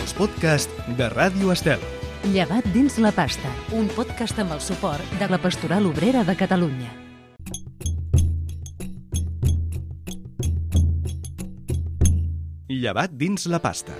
els podcasts de Ràdio Estel. Llevat dins la pasta, un podcast amb el suport de la Pastoral Obrera de Catalunya. Llevat dins la pasta.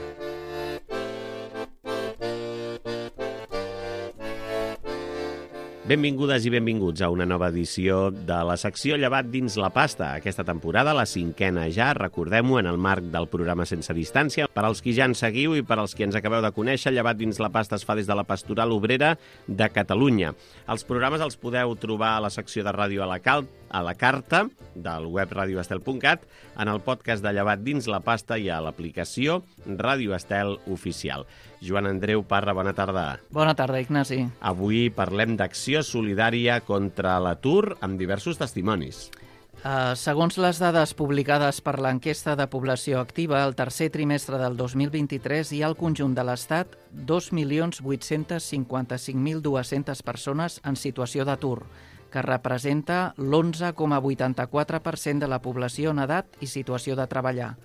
Benvingudes i benvinguts a una nova edició de la secció Llevat dins la pasta. Aquesta temporada, la 5a ja, recordem-ho, en el marc del programa Sense Distància. Per als qui ja ens seguiu i per als qui ens acabeu de conèixer, Llevat dins la pasta es fa des de la Pastoral Obrera de Catalunya. Els programes els podeu trobar a la secció de ràdio a la carta del web radioestel.cat, en el podcast de Llevat dins la pasta i a l'aplicació Ràdio Estel Oficial. Joan Andreu Parra, bona tarda. Bona tarda, Ignasi. Avui parlem d'acció solidària contra l'atur amb diversos testimonis. Segons les dades publicades per l'enquesta de població activa, el tercer trimestre del 2023 hi ha al conjunt de l'Estat 2.855.200 persones en situació d'atur, que representa l'11,84% de la població en edat i situació de treballar.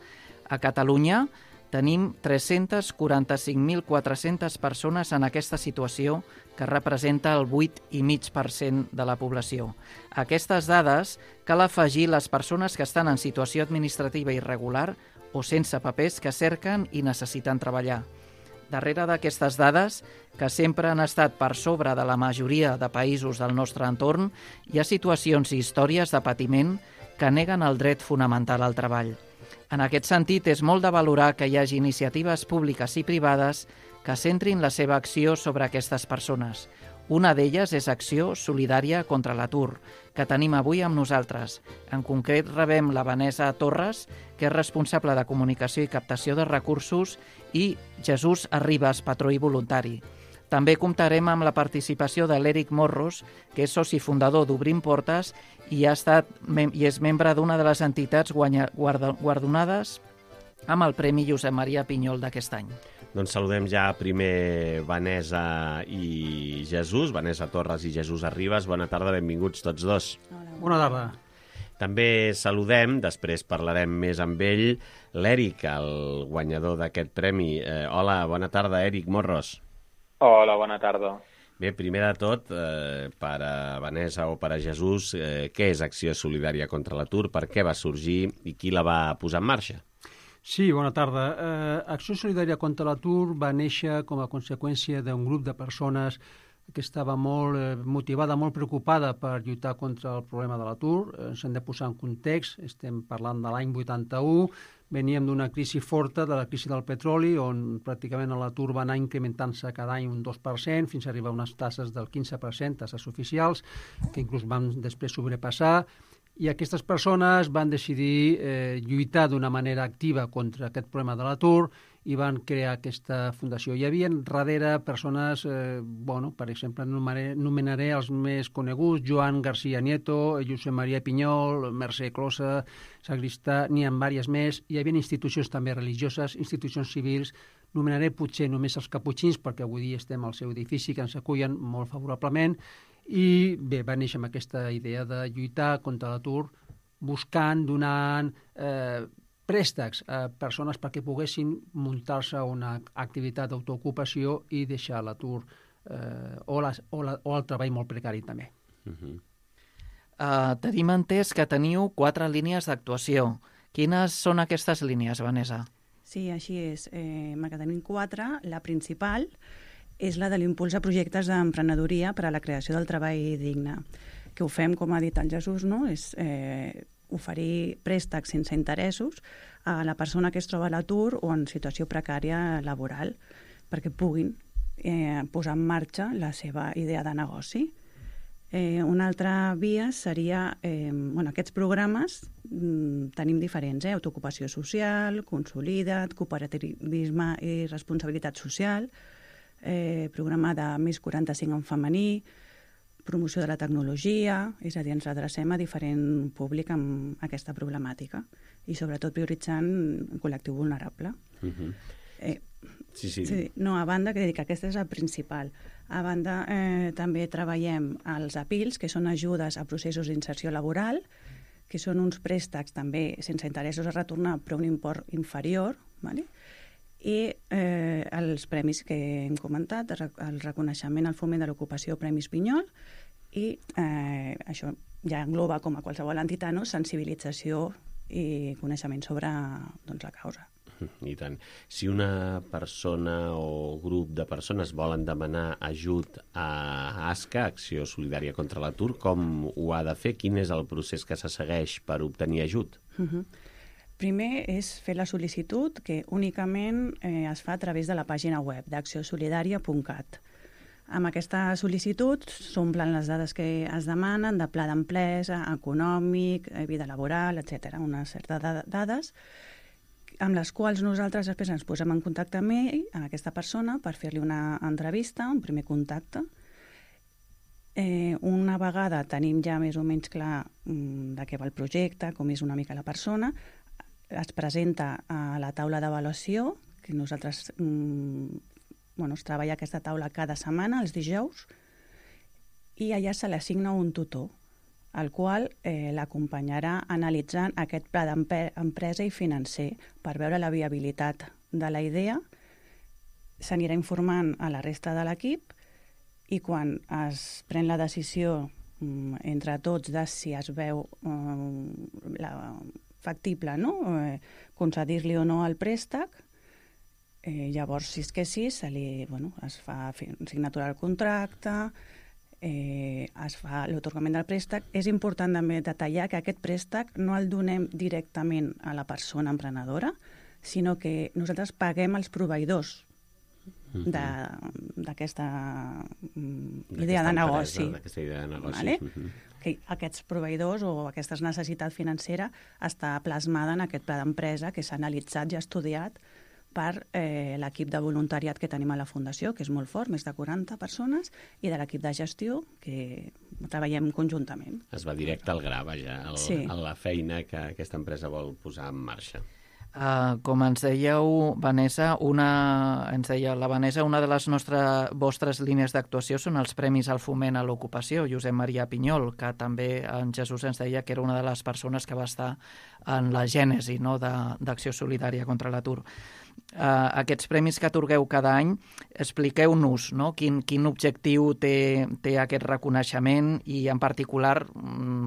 A Catalunya tenim 345.400 persones en aquesta situació, que representa el 8,5% de la població. A aquestes dades cal afegir les persones que estan en situació administrativa irregular o sense papers que cerquen i necessiten treballar. Darrere d'aquestes dades, que sempre han estat per sobre de la majoria de països del nostre entorn, hi ha situacions i històries de patiment que neguen el dret fonamental al treball. En aquest sentit, és molt de valorar que hi hagi iniciatives públiques i privades que centrin la seva acció sobre aquestes persones. Una d'elles és Acció Solidària contra l'Atur, que tenim avui amb nosaltres. En concret, rebem la Vanessa Torres, que és responsable de comunicació i captació de recursos, i Jesús Arribas, patró i voluntari. També comptarem amb la participació de l'Eric Morros, que és soci fundador d'Obrim Portes i és membre d'una de les entitats guardonades amb el Premi Josep Maria Pinyol d'aquest any. Doncs saludem ja primer Vanessa i Jesús, Vanessa Torres i Jesús Arribas. Bona tarda, benvinguts tots dos. Bona tarda. També saludem, després parlarem més amb ell, l'Eric, el guanyador d'aquest premi. Hola, bona tarda, Eric Morros. Hola, bona tarda. Bé, primer de tot, per a Vanessa o per a Jesús, què és Acció Solidària contra l'Atur, per què va sorgir i qui la va posar en marxa? Sí, bona tarda. Acció Solidària contra l'Atur va néixer com a conseqüència d'un grup de persones que estava molt motivada, molt preocupada per lluitar contra el problema de l'atur. Ens hem de posar en context, estem parlant de l'any 81, veníem d'una crisi forta, de la crisi del petroli, on pràcticament l'atur va anar incrementant-se cada any un 2%, fins a arribar a unes tasses del 15%, tasses oficials, que inclús van després sobrepassar, i aquestes persones van decidir lluitar d'una manera activa contra aquest problema de l'atur i van crear aquesta fundació. Hi havia darrere persones, per exemple, anomenaré els més coneguts, Joan García Nieto, Josep Maria Pinyol, Mercè Closa, Sagristà, n'hi ha diverses més. Hi havia institucions també religioses, institucions civils, anomenaré potser només els caputxins, perquè avui dia estem al seu edifici, que ens acullen molt favorablement, i bé, va néixer amb aquesta idea de lluitar contra l'atur, buscant, donant préstecs a persones perquè poguessin muntar-se una activitat d'autoocupació i deixar l'atur o el treball molt precari també. Tenim entès que teniu 4 línies d'actuació. Quines són aquestes línies, Vanessa? Sí, així és. Que tenim 4. La principal és la de l'impuls a projectes d'emprenedoria per a la creació del treball digne. Que ho fem, com ha dit el Jesús, no? És oferir préstecs sense interessos a la persona que es troba a l'atur o en situació precària laboral perquè puguin posar en marxa la seva idea de negoci. Una altra via seria, aquests programes tenim diferents, autoocupació social, consolida't, cooperativisme i responsabilitat social, programa de més 45 en femení, promoció de la tecnologia, és a dir, ens adrecem a diferent públic amb aquesta problemàtica i sobretot prioritzant un col·lectiu vulnerable. Sí. No, a banda, que aquesta és la principal. A banda, també treballem els APILs, que són ajudes a processos d'inserció laboral, que són uns préstecs també sense interessos a retornar, però un import inferior, ¿vale? i els premis que hem comentat, el reconeixement al foment de l'ocupació Premis Pinyol, i això ja engloba, com a qualsevol entitat, no? Sensibilització i coneixement sobre la causa. I tant. Si una persona o grup de persones volen demanar ajut a ASCA, Acció Solidària contra l'Atur, com ho ha de fer? Quin és el procés que se segueix per obtenir ajut? Primer és fer la sol·licitud, que únicament es fa a través de la pàgina web d'acciosolidaria.cat. Amb aquesta sol·licitud s'omplen les dades que es demanen, de pla d'empresa, econòmic, vida laboral, etc. Una certa dades, amb les quals nosaltres després ens posem en contacte amb ell, amb aquesta persona, per fer-li una entrevista, un primer contacte. Una vegada tenim ja més o menys clar de què va el projecte, com és una mica la persona, es presenta a la taula d'avaluació, que nosaltres es treballa aquesta taula cada setmana, els dijous, i allà se l'assigna un tutor, el qual l'acompanyarà analitzant aquest pla d'empresa i financer per veure la viabilitat de la idea, s'anirà informant a la resta de l'equip i quan es pren la decisió entre tots de si es veu factible, no? Concedir-li o no el préstec, llavors, si és que sí, es fa signatura del contracte, es fa l'atorgament del préstec. És important també detallar que aquest préstec no el donem directament a la persona emprenedora, sinó que nosaltres paguem els proveïdors d'aquesta idea de negoci. Vale? Que aquests proveïdors o aquesta necessitat financera està plasmada en aquest pla d'empresa que s'ha analitzat i estudiat per l'equip de voluntariat que tenim a la Fundació, que és molt fort, més de 40 persones, i de l'equip de gestió, que treballem conjuntament. Es va directe al gra, vaja, a la feina que aquesta empresa vol posar en marxa. Com ens dèieu, Vanessa, una de les vostres línies d'actuació són els Premis al Foment a l'Ocupació. Josep Maria Pinyol, que també en Jesús ens deia que era una de les persones que va estar en la gènesi, no, d'Acció Solidària contra l'Atur. Aquests premis que atorgueu cada any, expliqueu-nos, no? Quin objectiu té aquest reconeixement i, en particular,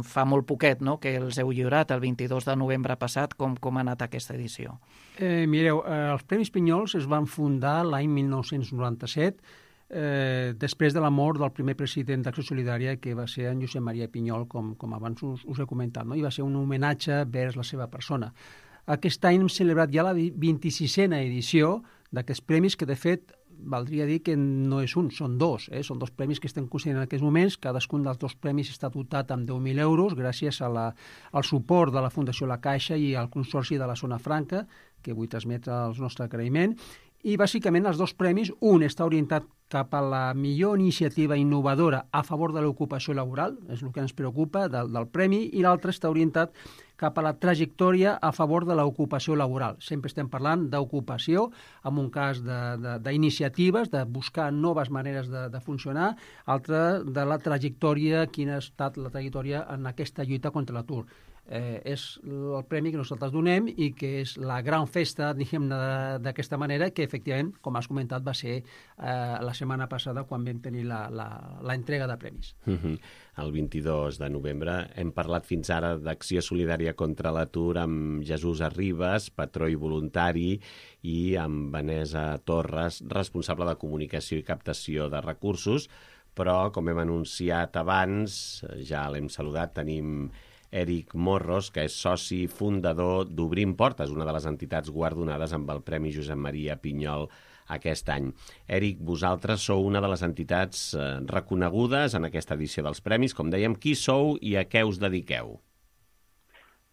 fa molt poquet, no?, que els heu lliurat el 22 de novembre passat. Com ha anat aquesta edició? Mireu, els Premis Pinyols es van fundar l'any 1997, després de la mort del primer president d'Acció Solidària, que va ser en Josep Maria Pinyol, com abans us he comentat, no? I va ser un homenatge vers la seva persona. Aquest any hem celebrat ja la 26a edició d'aquests premis, que de fet valdria dir que no és un, són dos. Són dos premis que estem considerant en aquests moments. Cadascun dels dos premis està dotat amb 10.000 euros gràcies al suport de la Fundació La Caixa i al Consorci de la Zona Franca, que vull transmetre el nostre agraïment. I bàsicament els dos premis, un està orientat cap a la millor iniciativa innovadora a favor de l'ocupació laboral, és el que ens preocupa del premi, i l'altre està orientat cap a la trajectòria a favor de l'ocupació laboral. Sempre estem parlant d'ocupació, en un cas d'iniciatives, de buscar noves maneres de funcionar, altre de la trajectòria, quina ha estat la trajectòria en aquesta lluita contra l'atur. És el premi que nosaltres donem i que és la gran festa, diguem-ne, d'aquesta manera, que efectivament, com has comentat, va ser la setmana passada quan vam tenir l'entrega de premis. El 22 de novembre hem parlat fins ara d'Acció Solidària contra l'Atur amb Jesús Arribas, patró i voluntari, i amb Vanessa Torres, responsable de comunicació i captació de recursos, però, com hem anunciat abans, ja l'hem saludat, tenim Eric Morros, que és soci fundador d'Obrim Portes, una de les entitats guardonades amb el Premi Josep Maria Pinyol aquest any. Eric, vosaltres sou una de les entitats reconegudes en aquesta edició dels premis. Com dèiem, qui sou i a què us dediqueu?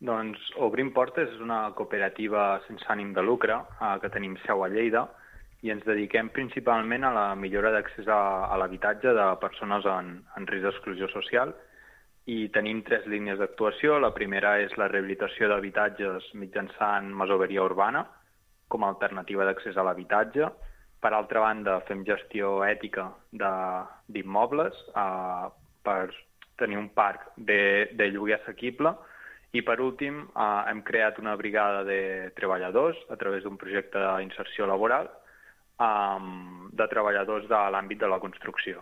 Doncs Obrim Portes és una cooperativa sense ànim de lucre que tenim seu a Lleida i ens dediquem principalment a la millora d'accés a l'habitatge de persones en risc d'exclusió social. I tenim 3 línies d'actuació. La primera és la rehabilitació d'habitatges mitjançant masoveria urbana com a alternativa d'accés a l'habitatge. Per altra banda, fem gestió ètica d'immobles per tenir un parc de lloguer assequible I per últim, hem creat una brigada de treballadors a través d'un projecte d'inserció laboral de treballadors de l'àmbit de la construcció.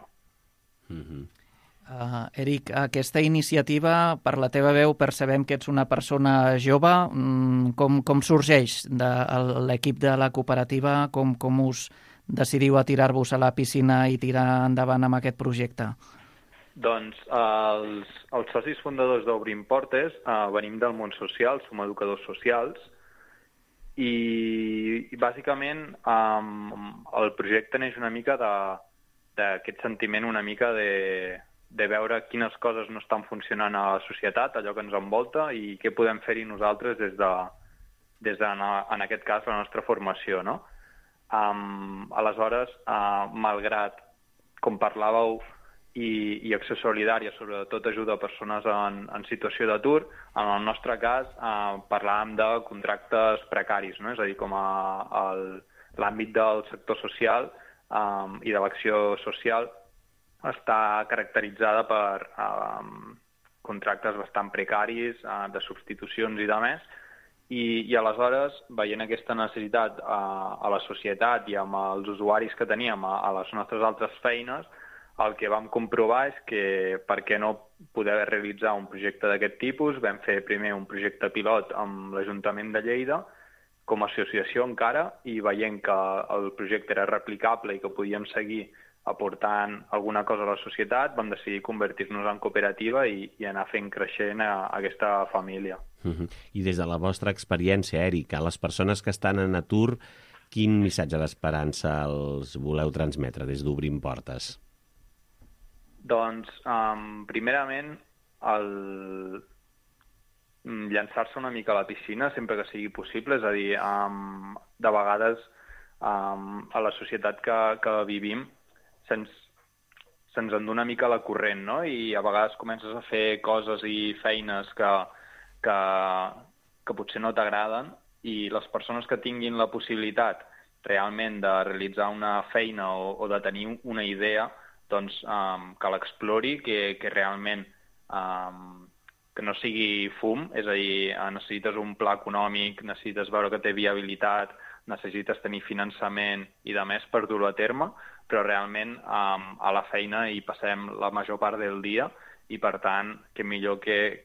Eric, aquesta iniciativa, per la teva veu, percebem que ets una persona jove. Com sorgeix de l'equip de la cooperativa? Com us decidiu a tirar-vos a la piscina i tirar endavant amb aquest projecte? Doncs els socis fundadors d'Obrim Portes venim del món social, som educadors socials, i bàsicament el projecte neix una mica d'aquest sentiment una mica de veure quines coses no estan funcionant a la societat, allò que ens envolta, i què podem fer-hi nosaltres des de, en aquest cas, la nostra formació, no? Aleshores, malgrat, com parlàveu, i Acció Solidària, sobretot ajuda a persones en situació d'atur, en el nostre cas parlàvem de contractes precaris, no? És a dir, com l'àmbit del sector social i de l'acció social està caracteritzada per contractes bastant precaris, de substitucions i de més, i aleshores, veient aquesta necessitat a la societat i amb els usuaris que teníem a les nostres altres feines, el que vam comprovar és que per què no poder realitzar un projecte d'aquest tipus. Vam fer primer un projecte pilot amb l'Ajuntament de Lleida, com a associació encara, i veient que el projecte era replicable i que podíem seguir aportant alguna cosa a la societat, vam decidir convertir-nos en cooperativa i anar fent creixent aquesta família. I des de la vostra experiència, Eric, a les persones que estan en atur, quin missatge d'esperança els voleu transmetre des d'Obrim Portes? Doncs, primerament, llançar-se una mica a la piscina sempre que sigui possible, és a dir, de vegades a la societat que vivim se'ns endú una mica la corrent, no? I a vegades comences a fer coses i feines que potser no t'agraden, i les persones que tinguin la possibilitat realment de realitzar una feina o de tenir una idea, doncs que l'explori, que realment que no sigui fum, és a dir, necessites un pla econòmic, necessites veure que té viabilitat, necessites tenir finançament i de més per dur-ho a terme, però realment a la feina hi passem la major part del dia i, per tant, que millor que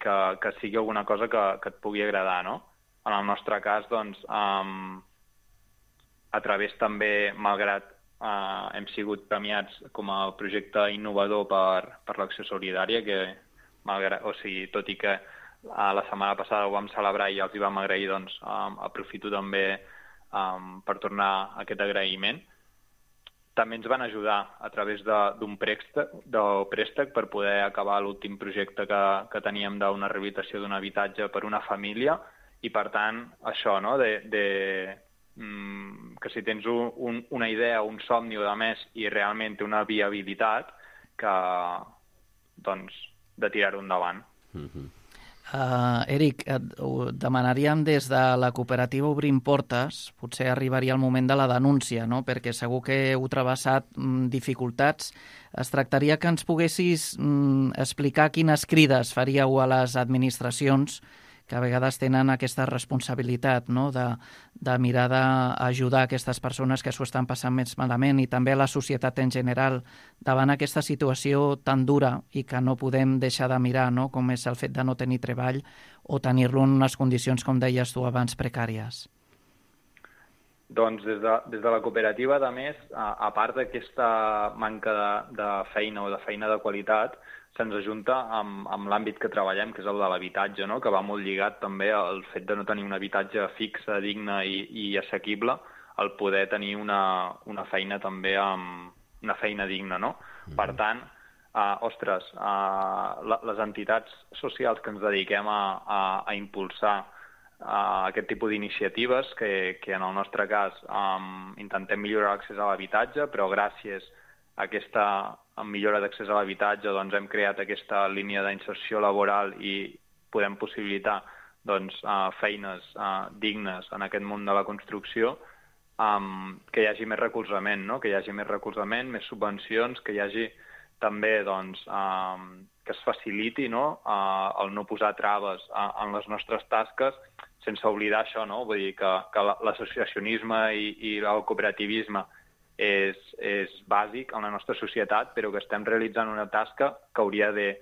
sigui alguna cosa que et pugui agradar, no? En el nostre cas, doncs, a través també, malgrat hem sigut premiats com a projecte innovador per l'Acció Solidària, que tot i que la setmana passada ho vam celebrar i els hi vam agrair, doncs aprofito també per tornar aquest agraïment. També ens van ajudar a través d'un préstec per poder acabar l'últim projecte que teníem d'una rehabilitació d'un habitatge per una família, i per tant això, no?, que si tens una idea, un somni o de més i realment té una viabilitat, doncs de tirar-ho endavant. Eric, demanaríem des de la cooperativa Obrim Portes, potser arribaria el moment de la denúncia, no? Perquè segur que heu travessat dificultats. Es tractaria que ens poguessis explicar quines crides faríeu a les administracions que a vegades tenen aquesta responsabilitat, no?, de mirar d'ajudar aquestes persones que s'ho estan passant més malament, i també a la societat en general, davant aquesta situació tan dura i que no podem deixar de mirar, no?, com és el fet de no tenir treball o tenir-lo en unes condicions, com deies tu abans, precàries. Doncs des de la cooperativa, a més, a part d'aquesta manca de feina o de feina de qualitat, se'ns ajunta amb l'àmbit que treballem, que és el de l'habitatge, no?, que va molt lligat també al fet de no tenir un habitatge fixe, digne i assequible, el poder tenir una feina també una feina digna, no? Per tant, les entitats socials que ens dediquem a impulsar aquest tipus d'iniciatives, que en el nostre cas intentem millorar l'accés a l'habitatge, però gràcies a aquesta millora d'accés a l'habitatge doncs hem creat aquesta línia d'inserció laboral i podem possibilitar doncs, feines dignes en aquest món de la construcció, que hi hagi més recolzament, no? Que hi hagi més recolzament, més subvencions, que hi hagi també doncs, que es faciliti, no? El no posar traves en les nostres tasques, sense oblidar això, no? Vull dir que l'associacionisme i el cooperativisme és bàsic en la nostra societat, però que estem realitzant una tasca que hauria de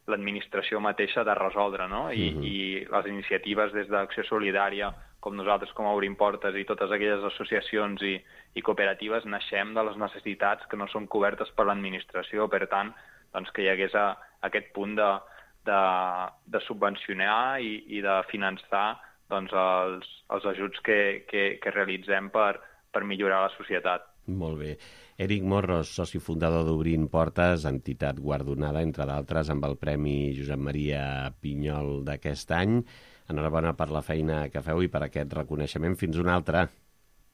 l'administració mateixa de resoldre, no? I les iniciatives des d'Acció Solidària, com nosaltres com a Obrim Portes i totes aquelles associacions i cooperatives, naixem de les necessitats que no són cobertes per l'administració. Per tant, doncs, que hi hagués aquest punt de subvencionar i de finançar doncs, els ajuts que realitzem per millorar la societat. Molt bé. Eric Morros, soci fundador d'Obrint Portes, entitat guardonada, entre d'altres, amb el Premi Josep Maria Pinyol d'aquest any. Enhorabona per la feina que feu i per aquest reconeixement. Fins una altra.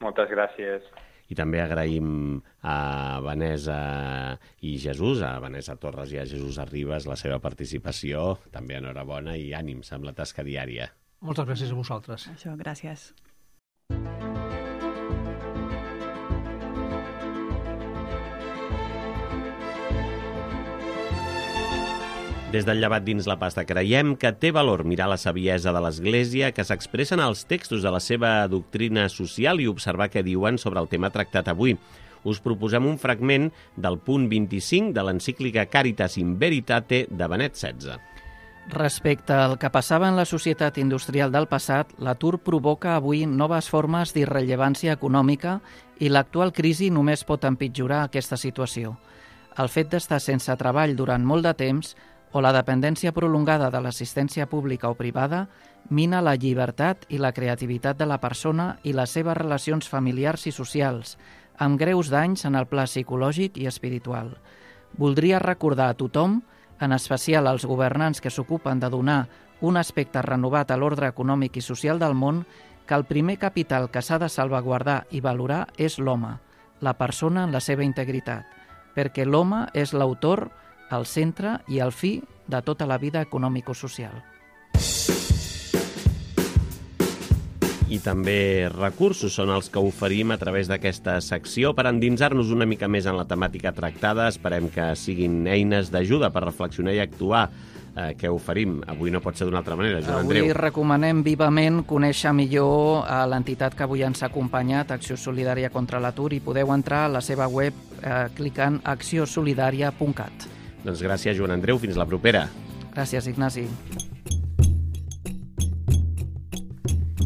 Moltes gràcies. I també agraïm a Vanessa i Jesús, a Vanessa Torres i a Jesús Arribas, la seva participació. També enhorabona i ànims amb la tasca diària. Moltes gràcies a vosaltres. Això, gràcies. Des del Llevat dins la pasta creiem que té valor mirar la saviesa de l'Església que s'expressa en els textos de la seva doctrina social i observar què diuen sobre el tema tractat avui. Us proposem un fragment del punt 25 de l'encíclica Caritas in Veritate de Benet XVI. Respecte al que passava en la societat industrial del passat, l'atur provoca avui noves formes d'irrellevància econòmica i l'actual crisi només pot empitjorar aquesta situació. El fet d'estar sense treball durant molt de temps o la dependència prolongada de l'assistència pública o privada mina la llibertat i la creativitat de la persona i les seves relacions familiars i socials, amb greus danys en el pla psicològic i espiritual. Voldria recordar a tothom, en especial als governants que s'ocupen de donar un aspecte renovat a l'ordre econòmic i social del món, que el primer capital que s'ha de salvaguardar i valorar és l'home, la persona en la seva integritat, perquè l'home és l'autor, el centre i el fi de tota la vida econòmico-social. I també recursos són els que oferim a través d'aquesta secció per endinsar-nos una mica més en la temàtica tractada. Esperem que siguin eines d'ajuda per reflexionar i actuar. Què oferim? Avui no pot ser d'una altra manera, Joan Andreu. Avui recomanem vivament conèixer millor a l'entitat que avui ens ha acompanyat, Acció Solidària contra l'Atur, i podeu entrar a la seva web clicant acciosolidaria.cat. Doncs gràcies, Joan Andreu. Fins la propera. Gràcies, Ignasi.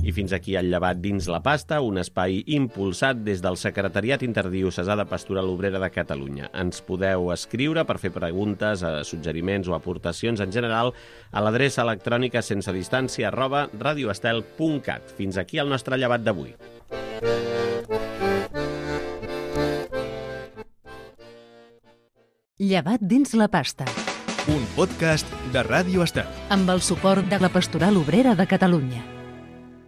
I fins aquí el Llevat dins la pasta, un espai impulsat des del Secretariat Interdiocesà de Pastoral Obrera de Catalunya. Ens podeu escriure per fer preguntes, suggeriments o aportacions en general a l'adreça electrònica sensedistància@radioestel.cat. Fins aquí el nostre Llevat d'avui. Llevat dins la pasta. Un podcast de Ràdio Estel. Amb el suport de la Pastoral Obrera de Catalunya.